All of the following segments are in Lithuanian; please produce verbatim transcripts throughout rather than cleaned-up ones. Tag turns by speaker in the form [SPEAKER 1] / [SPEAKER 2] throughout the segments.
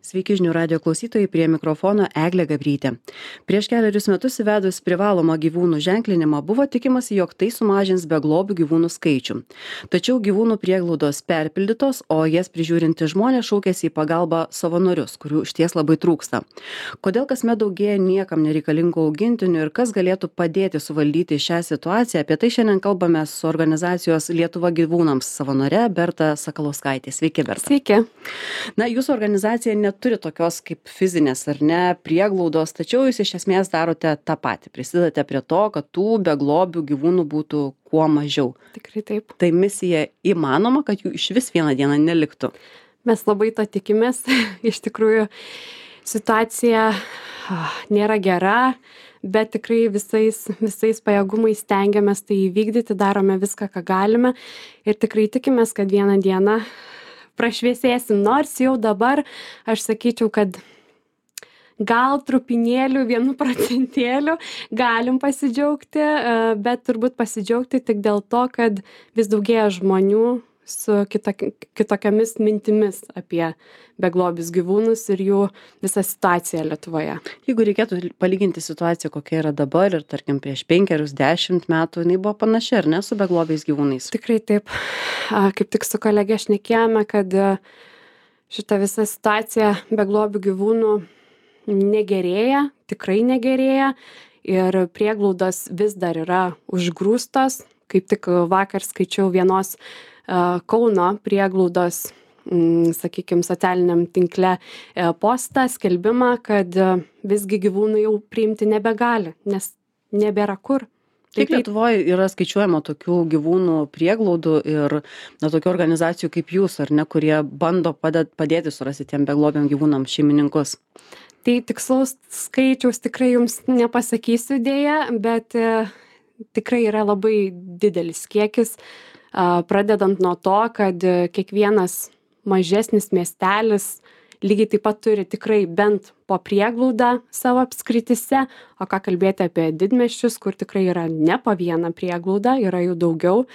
[SPEAKER 1] Sveiki žinių radio klausytojai, prie mikrofono Eglė Gabrytė. Prieš keliarius metus įvedus privalomą gyvūnų ženklinimą buvo tikimasi, jog tai sumažins beglobių gyvūnų skaičių. Tačiau gyvūnų prieglaudos perpildytos, o jas prižiūrinti žmonės šaukėsi į pagalbą savanorius, kurių išties labai trūksta. Kodėl kasmet daugėja niekam nereikalingų augintinių ir kas galėtų padėti suvaldyti šią situaciją, apie tai šiandien kalbame su organizacijos Lietuva gyvūnams savanore Berta Sakalauskaitė. Sveiki, Berta.
[SPEAKER 2] Sveiki.
[SPEAKER 1] Na, jūsų organizacija neturi tokios kaip fizinės ar ne prieglaudos, tačiau jūs iš esmės darote tą patį. Prisidate prie to, kad tų beglobių gyvūnų būtų kuo mažiau.
[SPEAKER 2] Tikrai taip.
[SPEAKER 1] Tai misija įmanoma, kad jų iš vis vieną dieną neliktų.
[SPEAKER 2] Mes labai to tikimės. Iš tikrųjų, situacija ah, nėra gera, bet tikrai visais, visais pajėgumais stengiamės tai įvykdyti, darome viską, ką galime ir tikrai tikimės, kad vieną dieną prašviesėsim, nors jau dabar aš sakyčiau, kad gal trupinėlių, vienu procentėliu galim pasidžiaugti, bet turbūt pasidžiaugti tik dėl to, kad vis daugėja žmonių su kitoki, kitokiamis mintimis apie beglobius gyvūnus ir jų visą situaciją Lietuvoje.
[SPEAKER 1] Jeigu reikėtų palyginti situaciją, kokia yra dabar ir tarkim prieš penkerius, dešimt metų, jinai buvo panaši, ar ne, su beglobiais gyvūnais?
[SPEAKER 2] Tikrai taip. Kaip tik su kolegė šnekėjome, kad šita visa situacija beglobių gyvūnų negerėja, tikrai negerėja ir prieglaudos vis dar yra užgrūstos. Kaip tik vakar skaičiau vienos Kauno prieglaudos, sakykime, socialiniam tinkle postą, skelbimą, kad visgi gyvūnai jau priimti nebegali, nes nebėra kur.
[SPEAKER 1] Kiek Lietuvoje yra skaičiuojama tokių gyvūnų prieglaudų ir na, tokių organizacijų kaip jūs, ar ne, kurie bando padėt, padėti surasti tiem beglobiam gyvūnam šeimininkus?
[SPEAKER 2] Tai tikslaus skaičiaus tikrai jums nepasakysiu dėja, bet e, tikrai yra labai didelis kiekis. Pradedant nuo to, kad kiekvienas mažesnis miestelis lygiai taip pat turi tikrai bent po prieglaudą savo apskrityse, o ką kalbėti apie didmiesčius, kur tikrai yra ne po vieną prieglaudą, yra jų daugiau.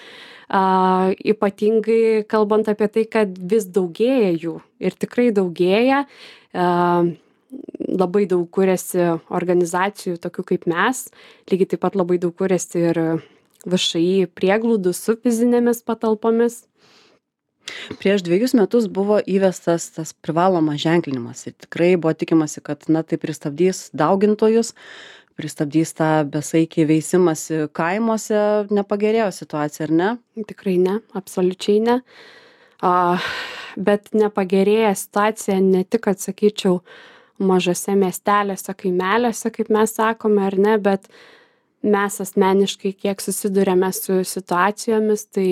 [SPEAKER 2] A, ypatingai kalbant apie tai, kad vis daugėja jų ir tikrai daugėja. A, labai daug kuriasi organizacijų, tokių kaip mes, lygiai taip pat labai daug kuriasi ir V Š I prieglaudų su fizinėmis patalpomis.
[SPEAKER 1] Prieš dviejus metus buvo įvestas tas privalomas ženklinimas ir tikrai buvo tikimasi, kad na, tai pristabdys daugintojus, pristabdys tą besaikį veisimąsi kaimuose, nepagerėjo situacija, ar ne?
[SPEAKER 2] Tikrai ne, absoliučiai ne. A, bet nepagerėja situacija ne tik, atsakyčiau, mažose miestelėse, kaimeliuose, kaip mes sakome, ar ne, bet mes asmeniškai kiek susidurėme su situacijomis, tai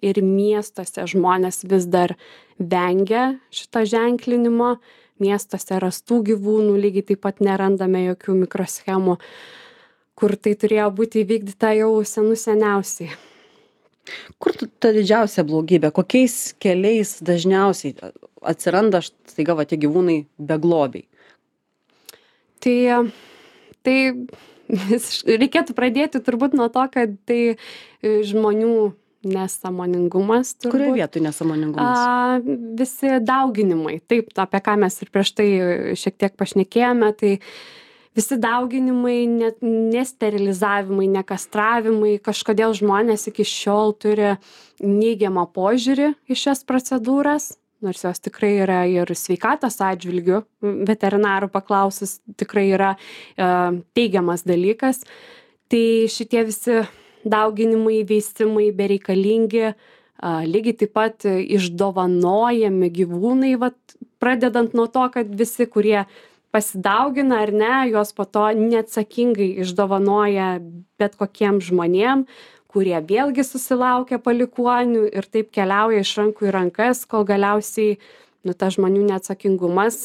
[SPEAKER 2] ir miestuose žmonės vis dar vengia šito ženklinimo, miestuose rastų gyvūnų lygiai taip pat nerandame jokių mikroschemų, kur tai turėjo būti įvykdyta jau senų seniausiai.
[SPEAKER 1] Kur ta didžiausia blogybė? Kokiais keliais dažniausiai atsiranda staiga va tie gyvūnai beglobiai?
[SPEAKER 2] Tai, tai reikėtų pradėti turbūt nuo to, kad tai žmonių nesąmoningumas. Turbūt.
[SPEAKER 1] Kurioje vietoje nesąmoningumas?
[SPEAKER 2] A, visi dauginimai. Taip, apie ką mes ir prieš tai šiek tiek pašnekėjome, tai visi dauginimai, ne, nesterilizavimai, nekastravimai, kažkodėl žmonės iki šiol turi neigiamą požiūrį į šias procedūras. Nors jos tikrai yra ir sveikatos atžvilgių, veterinarų paklausus tikrai yra e, teigiamas dalykas. Tai šitie visi dauginimai, veisimai bereikalingi, e, lygiai taip pat išdovanojami gyvūnai, vat, pradedant nuo to, kad visi, kurie pasidaugina ar ne, jos po to neatsakingai išdovanoja bet kokiem žmonėm, kurie vėlgi susilaukia palikuonių ir taip keliauja iš rankų į rankas, kol galiausiai nu, ta žmonių neatsakingumas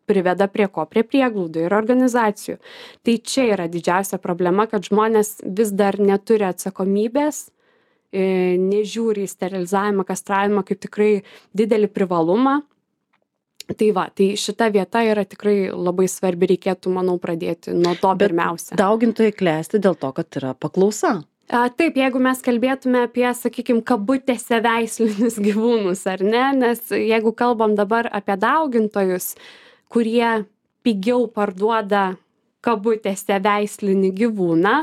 [SPEAKER 2] priveda prie ko? Prie prieglaudų ir organizacijų. Tai čia yra didžiausia problema, kad žmonės vis dar neturi atsakomybės, nežiūri į sterilizavimą, kastravimą kaip tikrai didelį privalumą. Tai va, tai šita vieta yra tikrai labai svarbi, reikėtų, manau, pradėti nuo to pirmiausia.
[SPEAKER 1] Bet daugintojai klesti dėl to, kad yra paklausa.
[SPEAKER 2] A, taip, jeigu mes kalbėtume apie, sakykime, kabutėse veislinius gyvūnus, ar ne, nes jeigu kalbam dabar apie daugintojus, kurie pigiau parduoda kabutėse veislinį gyvūną,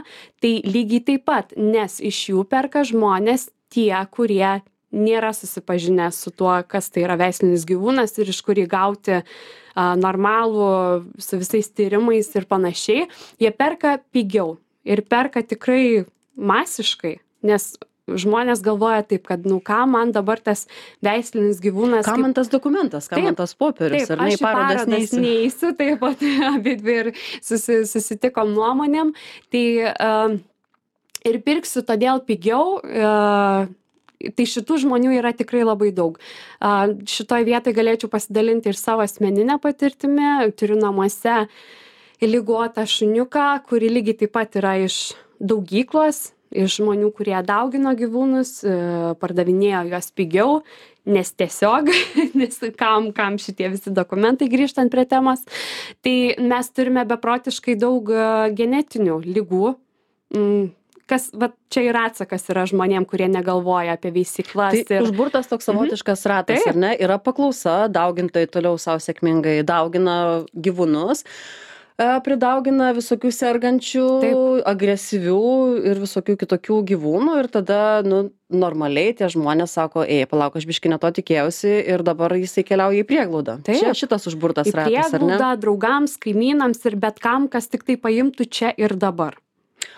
[SPEAKER 2] tai lygiai taip pat, nes iš jų perka žmonės tie, kurie nėra susipažinę su tuo, kas tai yra veislinis gyvūnas ir iš kur jį gauti a, normalų su visais tyrimais ir panašiai, jie perka pigiau ir perka tikrai masiškai, nes žmonės galvoja taip, kad nu ką man dabar tas veislinis gyvūnas.
[SPEAKER 1] Ką man tas dokumentas, ką taip, man tas popierius,
[SPEAKER 2] taip,
[SPEAKER 1] ar ne į parodas neįsiu.
[SPEAKER 2] neįsiu, taip pat abidvi ir susi, susitikom nuomonėm, tai uh, ir pirksiu todėl pigiau, uh, tai šitų žmonių yra tikrai labai daug. Uh, šitoj vietoj galėčiau pasidalinti ir savo asmeninę patirtimį, turiu namuose ligotą šuniuką, kuri lygiai taip pat yra iš daugyklos, iš žmonių, kurie daugino gyvūnus, pardavinėjo juos pigiau, nes tiesiog, nes kam, kam šitie visi dokumentai grįžtant prie temos. Tai mes turime beprotiškai daug genetinių ligų, kas, va, čia ir atsakas yra žmonėm, kurie negalvoja apie veisyklas.
[SPEAKER 1] Tai
[SPEAKER 2] ir...
[SPEAKER 1] užburtas toks savotiškas mhm. ratas, taip, ar ne? Yra paklausa, daugintojai toliau savo sėkmingai daugina gyvūnus, pridaugina visokių sergančių, taip, agresyvių ir visokių kitokių gyvūnų ir tada, nu, normaliai tie žmonės sako, ei, palauk, aš biškį ne to tikėjausi ir dabar jisai keliauja į prieglaudą. Taip, čia šitas užburtas ratas, ar ne?
[SPEAKER 2] Į prieglaudą, draugams, kaimynams ir bet kam, kas tik tai paimtų čia ir dabar.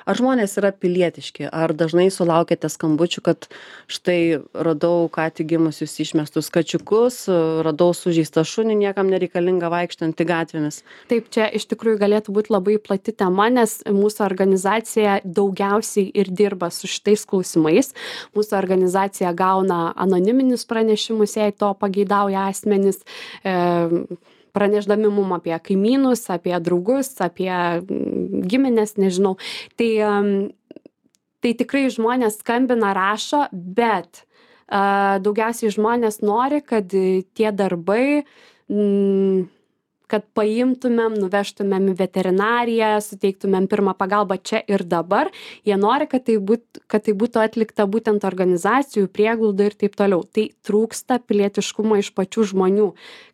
[SPEAKER 1] Ar žmonės yra pilietiški, ar dažnai sulaukėte skambučių, kad štai radau ką tik gimusius išmestus kačiukus, radau sužeistą šunį, niekam nereikalinga vaikštantį gatvėmis?
[SPEAKER 2] Taip, čia iš tikrųjų galėtų būti labai plati tema, nes mūsų organizacija daugiausiai ir dirba su šitais klausimais. Mūsų organizacija gauna anoniminius pranešimus, jei to pageidauja asmenys. E, pranešdami mum apie kaimynus, apie draugus, apie giminės, nežinau. Tai, tai tikrai žmonės skambina, rašo, bet uh, daugiausiai žmonės nori, kad tie darbai, mm, kad paimtumėm, nuvežtumėm į veterinariją, suteiktumėm pirmą pagalbą čia ir dabar. Jie nori, kad tai, būt, kad tai būtų atlikta būtent organizacijų, prieglaudų ir taip toliau. Tai trūksta pilietiškumo iš pačių žmonių,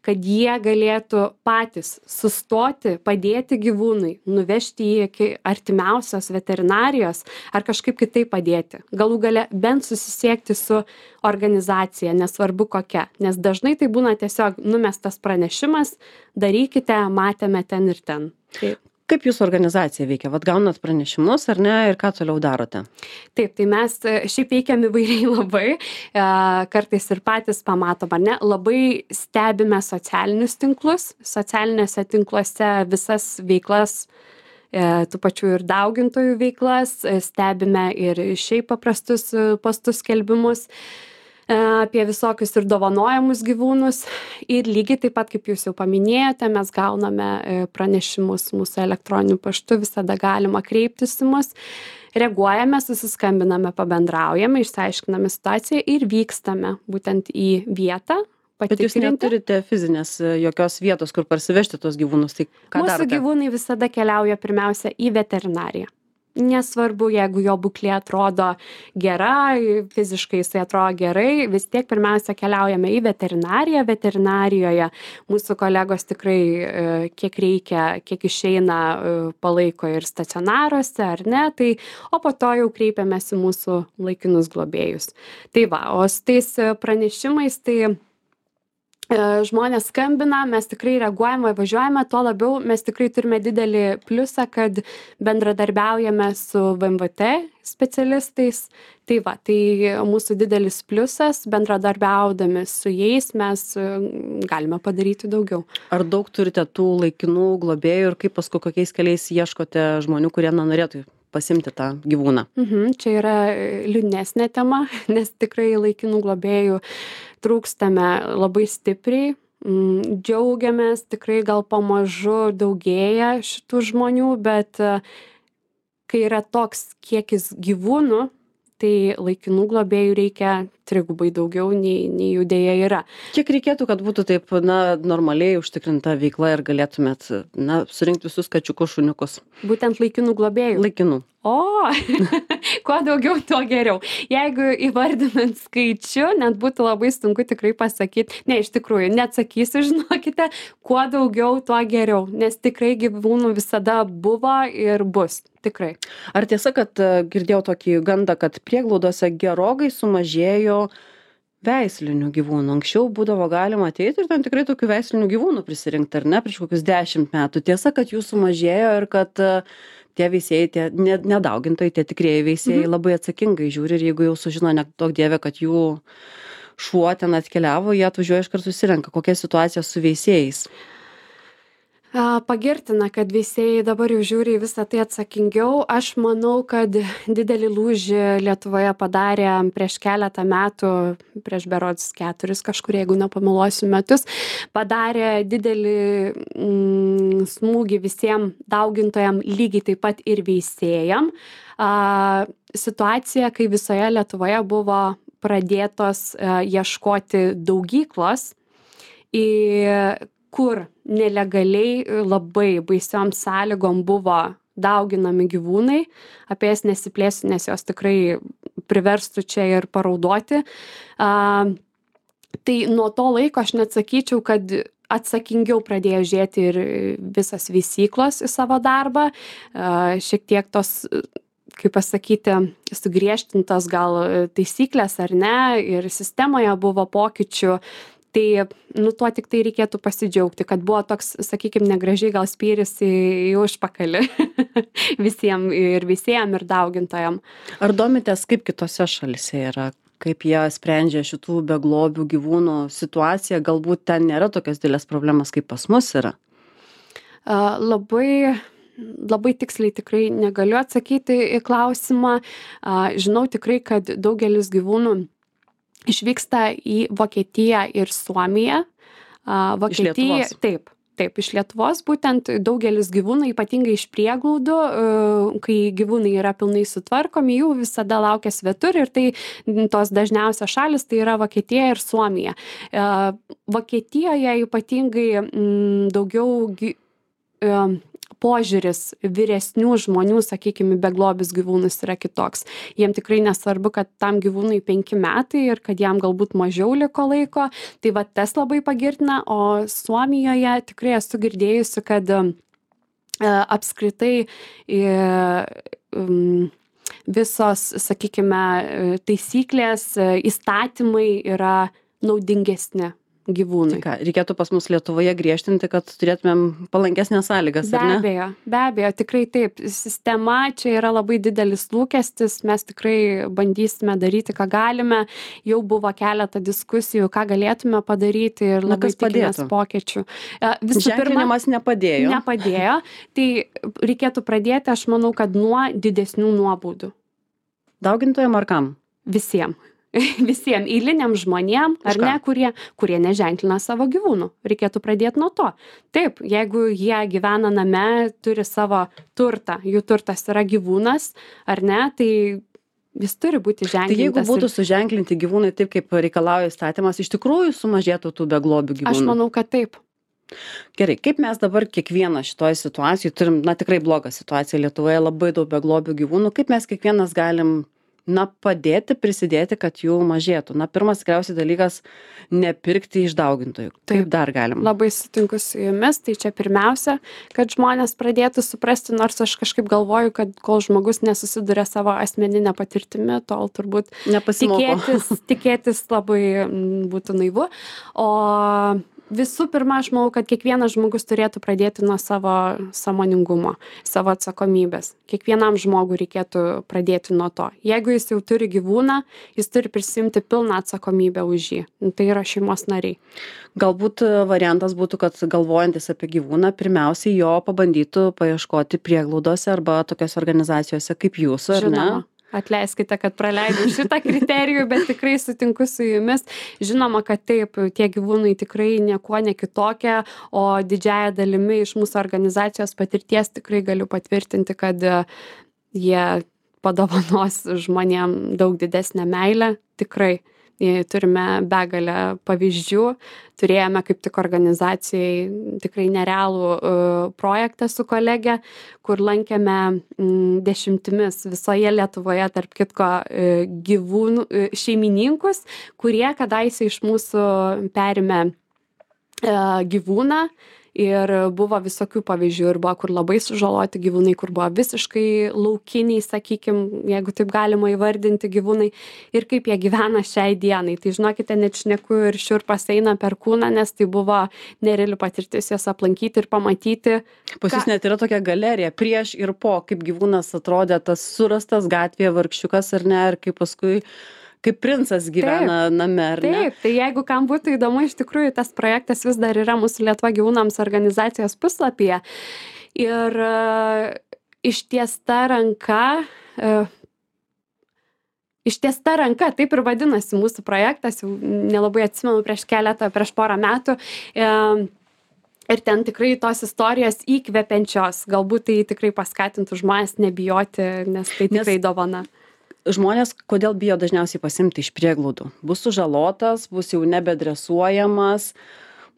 [SPEAKER 2] kad jie galėtų patys sustoti, padėti gyvūnui, nuvežti jį iki artimiausios veterinarijos ar kažkaip kitaip padėti. Galų gale bent susisiekti su organizacija, nesvarbu kokia. Nes dažnai tai būna tiesiog numestas pranešimas, darykite, matėme ten ir ten. Taip.
[SPEAKER 1] Kaip jūsų organizacija veikia? Vat gaunat pranešimus ar ne ir ką toliau darote?
[SPEAKER 2] Taip, tai mes šiaip veikiam įvairiai labai, kartais ir patys pamatom, ar ne, labai stebime socialinius tinklus, socialinėse tinkluose visas veiklas, tų pačių ir daugintojų veiklas, stebime ir šiaip paprastus postus skelbimus apie visokius ir dovanojamus gyvūnus ir lygiai taip pat, kaip jūs jau paminėjote, mes gauname pranešimus mūsų elektroniniu paštu, visada galima kreiptis į mus, reaguojame, susiskambiname, pabendraujame, išsiaiškiname situaciją ir vykstame būtent į vietą.
[SPEAKER 1] Bet jūs neturite fizinės jokios vietos, kur parsivežti tos gyvūnus, tai ką
[SPEAKER 2] Mūsų
[SPEAKER 1] darote?
[SPEAKER 2] Gyvūnai visada keliauja pirmiausia į veterinariją. Nesvarbu, jeigu jo būklė atrodo gera, fiziškai jisai atrodo gerai, vis tiek pirmiausia keliaujame į veterinariją. Veterinarijoje mūsų kolegos tikrai kiek reikia, kiek išeina palaiko ir stacionaruose, ar ne, tai, o po to jau kreipiamės į mūsų laikinus globėjus. Tai va, o su tais pranešimais, tai žmonės skambina, mes tikrai reaguojame, važiuojame, tuo labiau mes tikrai turime didelį pliusą, kad bendradarbiaujame su V M V T specialistais. Tai va, tai mūsų didelis pliusas, bendradarbiaudami su jais mes galime padaryti daugiau.
[SPEAKER 1] Ar daug turite tų laikinų globėjų ir kaip paskui kokiais keliais ieškote žmonių, kurie na, norėtų pasimti tą gyvūną?
[SPEAKER 2] Mhm, čia yra liūdnesnė tema, nes tikrai laikinų globėjų trūkstame labai stipriai. Džiaugiamės, tikrai gal pamažu daugėja šitų žmonių, bet kai yra toks kiekis gyvūnų, tai laikinų globėjų reikia trigubai daugiau nei, nei jų dėja yra.
[SPEAKER 1] Kiek reikėtų, kad būtų taip, na, normaliai užtikrinta veikla ir galėtumėt, na, surinkti visus kačiukus, šuniukus?
[SPEAKER 2] Būtent laikinų globėjų.
[SPEAKER 1] Laikinų.
[SPEAKER 2] O, kuo daugiau, tuo geriau. Jeigu įvardinant skaičių, net būtų labai sunku tikrai pasakyti, ne, iš tikrųjų, neatsakysiu, žinokite, kuo daugiau, tuo geriau, nes tikrai gyvūnų visada buvo ir bus, tikrai.
[SPEAKER 1] Ar tiesa, kad girdėjau tokį gandą, kad prieglaudose gerokai sumažėjo veislinių gyvūnų? Anksčiau būdavo galima ateiti ir ten tikrai tokių veislinių gyvūnų prisirinkti, ar ne, prieš kokius dešimt metų. Tiesa, kad jų sumažėjo ir kad tie veisėjai, tie nedaugintojai, tie tikrieji veisėjai mhm. labai atsakingai žiūri ir jeigu jau sužino, nedaug dievė, kad jų šuo ten atkeliavo, jie atvažiuoja iškart susirenka. Kokia situacija su veisėjais?
[SPEAKER 2] Pagirtina, kad veisėjai dabar jau žiūri į visą tai atsakingiau. Aš manau, kad didelį lūžį Lietuvoje padarė prieš keletą metų, prieš berods keturis kažkur, jeigu nepameluosiu metus, padarė didelį mm, smūgį visiems daugintojam, lygiai taip pat ir veisėjam. A, situacija, kai visoje Lietuvoje buvo pradėtos a, ieškoti daugyklos, į kur nelegaliai labai baisiom sąlygom buvo dauginami gyvūnai. Apie jas nesiplėsiu, nes jos tikrai priverstų čia ir paraudoti. A, tai nuo to laiko aš net sakyčiau, kad atsakingiau pradėjo žiūrėti ir visas veisyklos į savo darbą. A, šiek tiek tos, kaip pasakyti, sugriežtintos gal taisyklės ar ne, ir sistemoje buvo pokyčių. Tai, nu, tuo tik tai reikėtų pasidžiaugti, kad buvo toks, sakykime, negražiai gal spyris į, į užpakalį visiems ir visiems ir daugintojam.
[SPEAKER 1] Ar domitės, kaip kitose šalise yra, kaip jie sprendžia šitų beglobių gyvūnų situaciją? Galbūt ten nėra tokios didelės problemas, kaip pas mus yra?
[SPEAKER 2] Uh, labai... Labai tiksliai tikrai negaliu atsakyti į klausimą. Uh, žinau tikrai, kad daugelis gyvūnų išvyksta į Vokietiją ir Suomiją. Vokietija, taip, taip, iš Lietuvos būtent daugelis gyvūnų, ypatingai iš prieglaudų, kai gyvūnai yra pilnai sutvarkomi, jų visada laukia svetur ir tai tos dažniausios šalis tai yra Vokietija ir Suomija. Vokietijoje ypatingai m, daugiau gy, m, požiūris vyresnių žmonių, sakykime, beglobius gyvūnus yra kitoks. Jiem tikrai nesvarbu, kad tam gyvūnui penki metai ir kad jam galbūt mažiau liko laiko. Tai va tas labai pagirtina, o Suomijoje tikrai esu girdėjusi, kad e, apskritai e, um, visos, sakykime, taisyklės, įstatymai yra naudingesni gyvūnai.
[SPEAKER 1] Tai ką, reikėtų pas mus Lietuvoje griežtinti, kad turėtumėm palankesnės sąlygas, ar ne?
[SPEAKER 2] Be abejo, be abejo, tikrai taip. Sistema čia yra labai didelis lūkestis, mes tikrai bandysime daryti, ką galime. Jau buvo keletą diskusijų, ką galėtume padaryti ir labai tikimės pokyčių. Visų
[SPEAKER 1] Ženklinimas
[SPEAKER 2] pirma,
[SPEAKER 1] nepadėjo.
[SPEAKER 2] Nepadėjo. Tai reikėtų pradėti, aš manau, kad nuo didesnių nuobaudų.
[SPEAKER 1] Daugintojam ar kam?
[SPEAKER 2] Visiems. Visiems eiliniam žmonėm, ar ne, kurie, kurie neženklina savo gyvūnų. Reikėtų pradėti nuo to. Taip, jeigu jie gyvena name, turi savo turtą, jų turtas yra gyvūnas, ar ne, tai jis turi būti ženklintas.
[SPEAKER 1] Tai jeigu būtų ir... suženklinti gyvūnai taip, kaip reikalauja įstatymas, iš tikrųjų sumažėtų tų beglobių gyvūnų?
[SPEAKER 2] Aš manau, kad taip.
[SPEAKER 1] Gerai, kaip mes dabar kiekvieną šitoje situacijoje turim, na tikrai blogą situaciją Lietuvoje, labai daug beglobių gyvūnų, kaip mes kiekvienas galim na, padėti, prisidėti, kad jų mažėtų. Na, pirmas tikriausiai dalykas - nepirkti iš daugintojų. Taip dar galim.
[SPEAKER 2] Labai sutinku su jumis, tai čia pirmiausia, kad žmonės pradėtų suprasti, nors aš kažkaip galvoju, kad kol žmogus nesusiduria savo asmeninę patirtimį, tol turbūt tikėtis, tikėtis labai būtų naivu. O visų pirma, aš manau, kad kiekvienas žmogus turėtų pradėti nuo savo sąmoningumo, savo atsakomybės. Kiekvienam žmogui reikėtų pradėti nuo to. Jeigu jis jau turi gyvūną, jis turi prisimti pilną atsakomybę už jį. Tai yra šeimos nariai.
[SPEAKER 1] Galbūt variantas būtų, kad galvojantis apie gyvūną, pirmiausiai jo pabandytų paieškoti prieglaudose arba tokiose organizacijose kaip jūsų, ar ne?
[SPEAKER 2] Atleiskite, kad praleidau šitą kriterijų, bet tikrai sutinku su jumis. Žinoma, kad taip, tie gyvūnai tikrai niekuo nekitokie, o didžiąją dalimi iš mūsų organizacijos patirties tikrai galiu patvirtinti, kad jie padovanos žmonėm daug didesnę meilę. Tikrai, turime begalę pavyzdžių. Turėjome kaip tik organizacijai tikrai nerealų projektą su kolege, kur lankėme dešimtimis visoje Lietuvoje, tarp kitko, gyvūnų šeimininkus, kurie kadaise iš mūsų perėmė gyvūną. Ir buvo visokių pavyzdžių, ir buvo kur labai sužaloti gyvūnai, kur buvo visiškai laukiniai, sakykim, jeigu taip galima įvardinti gyvūnai, ir kaip jie gyvena šiai dienai. Tai žinokite, net šneku ir šiurpas eina per kūną, nes tai buvo nereali patirtis jas aplankyti ir pamatyti.
[SPEAKER 1] Pas jūs net yra tokia galerija prieš ir po, kaip gyvūnas atrodė, tas surastas gatvėje vargšiukas ar ne, ir kaip paskui kaip princas gyvena taip, name, ar ne?
[SPEAKER 2] Taip, tai jeigu kam būtų įdomu, iš tikrųjų tas projektas vis dar yra mūsų Lietuva gyvūnams organizacijos puslapyje. Ir uh, ištiesta ranka, uh, ištiesta ranka, taip ir vadinasi mūsų projektas, jau nelabai atsimenu prieš keletą, prieš porą metų. Uh, Ir ten tikrai tos istorijos įkvepiančios, galbūt tai tikrai paskatintų žmonės nebijoti, nes tai tikrai nes... dovana.
[SPEAKER 1] Žmonės, kodėl bijo dažniausiai pasimti iš prieglaudų? Bus sužalotas, bus jau nebedresuojamas,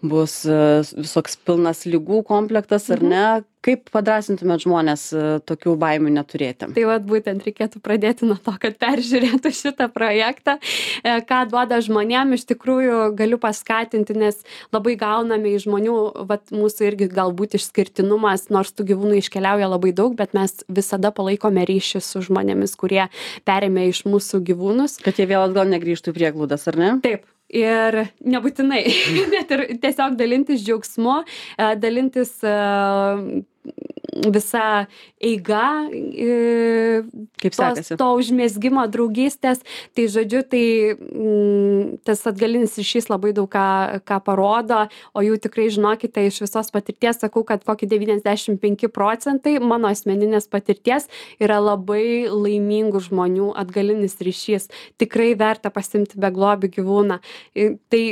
[SPEAKER 1] bus visoks pilnas ligų komplektas, ar ne? Kaip padrąsintumėt žmonės tokių baimių neturėti?
[SPEAKER 2] Tai vat būtent reikėtų pradėti nuo to, kad peržiūrėtų šitą projektą, ką duoda žmonėm, iš tikrųjų galiu paskatinti, nes labai gauname iš žmonių, vat mūsų irgi galbūt išskirtinumas, nors tų gyvūnų iškeliauja labai daug, bet mes visada palaikome ryšį su žmonėmis, kurie perėmė iš mūsų gyvūnus.
[SPEAKER 1] Kad jie vėl atgal negrįžtų į prieglaudas, ar ne?
[SPEAKER 2] Taip. Ir nebūtinai, net ir tiesiog dalintis džiaugsmu, dalintis visa eiga,
[SPEAKER 1] kaip sekasi,
[SPEAKER 2] to užmezgimo draugystės. Tai žodžiu, tai m, tas atgalinis ryšys labai daug ką, ką parodo, o jų tikrai žinokite iš visos patirties, sakau, kad kokį devyniasdešimt penki procentai mano asmeninės patirties yra labai laimingų žmonių atgalinis ryšys. Tikrai verta pasimti beglobių gyvūną. Tai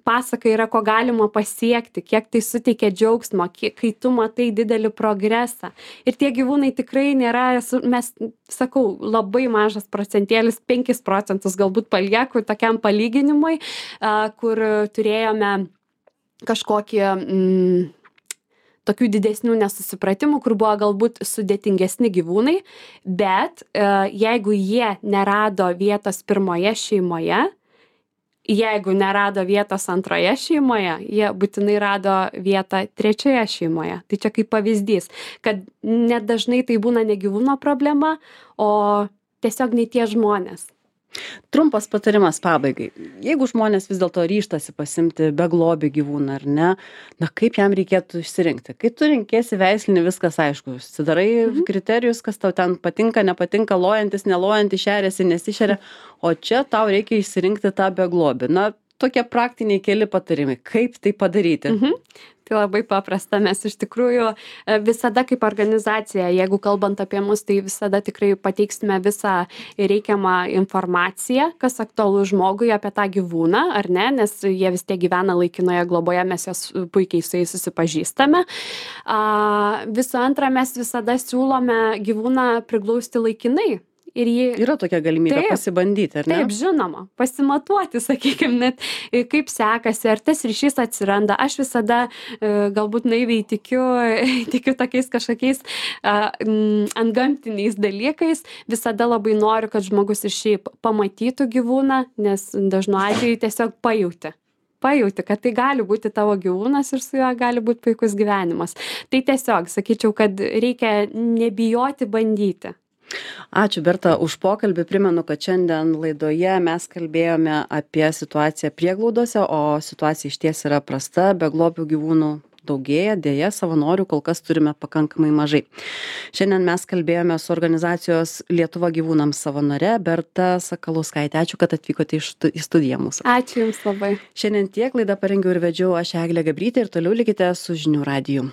[SPEAKER 2] pasaka yra, ko galima pasiekti, kiek tai suteikia džiaugsmo, kiek, kai tu matai didelį progresą. Ir tie gyvūnai tikrai nėra, mes, sakau, labai mažas procentėlis, penkis procentus galbūt palieku tokiam palyginimui, kur turėjome kažkokį mm, tokių didesnių nesusipratimų, kur buvo galbūt sudėtingesni gyvūnai, bet jeigu jie nerado vietos pirmoje šeimoje, jeigu nerado vietos antroje šeimoje, jie būtinai rado vietą trečioje šeimoje. Tai čia kaip pavyzdys, kad net dažnai tai būna ne gyvūno problema, o tiesiog ne tie žmonės.
[SPEAKER 1] Trumpas patarimas pabaigai. Jeigu žmonės vis dėlto ryžtasi pasimti beglobį gyvūną, ar ne, na kaip jam reikėtų išsirinkti? Kai tu rinkėsi veislinį, viskas aišku. Susidarai mhm. kriterijus, kas tau ten patinka, nepatinka, lojantis, nelojantis, šeriasi, nesišeria, o čia tau reikia išsirinkti tą beglobį. Na, tokie praktiniai keli patarimai. Kaip tai padaryti?
[SPEAKER 2] Mhm. Tai labai paprasta, mes iš tikrųjų visada kaip organizacija, jeigu kalbant apie mus, tai visada tikrai pateiksime visą reikiamą informaciją, kas aktualu žmogui apie tą gyvūną, ar ne, nes jie vis tiek gyvena laikinoje globoje, mes jos puikiai su jais susipažįstame. Visų antra, mes visada siūlome gyvūną priglausti laikinai. Ir jį...
[SPEAKER 1] Yra tokia galimybė taip, pasibandyti, ar ne?
[SPEAKER 2] Taip, žinoma, pasimatuoti, sakykime, net kaip sekasi, ar tas ryšys atsiranda. Aš visada galbūt naiviai tikiu, tikiu tokiais kažkokiais antgamtiniais dalykais. Visada labai noriu, kad žmogus ir šiaip pamatytų gyvūną, nes dažnu atveju tiesiog pajauti. Pajauti, kad tai gali būti tavo gyvūnas ir su juo gali būti puikus gyvenimas. Tai tiesiog, sakyčiau, kad reikia nebijoti bandyti.
[SPEAKER 1] Ačiū Berta už pokalbį. Primenu, kad šiandien laidoje mes kalbėjome apie situaciją prieglaudose, o situacija išties yra prasta, beglobių gyvūnų daugėja, dėja savanorių kol kas turime pakankamai mažai. Šiandien mes kalbėjome su organizacijos Lietuva gyvūnams savanore Berta Sakalauskaitė. Ačiū, kad atvykote į studiją mūsų.
[SPEAKER 2] Ačiū Jums labai.
[SPEAKER 1] Šiandien tiek, laidą parengiau ir vedžiau aš Eglė Gabrytė ir toliau likite su Žinių radiju.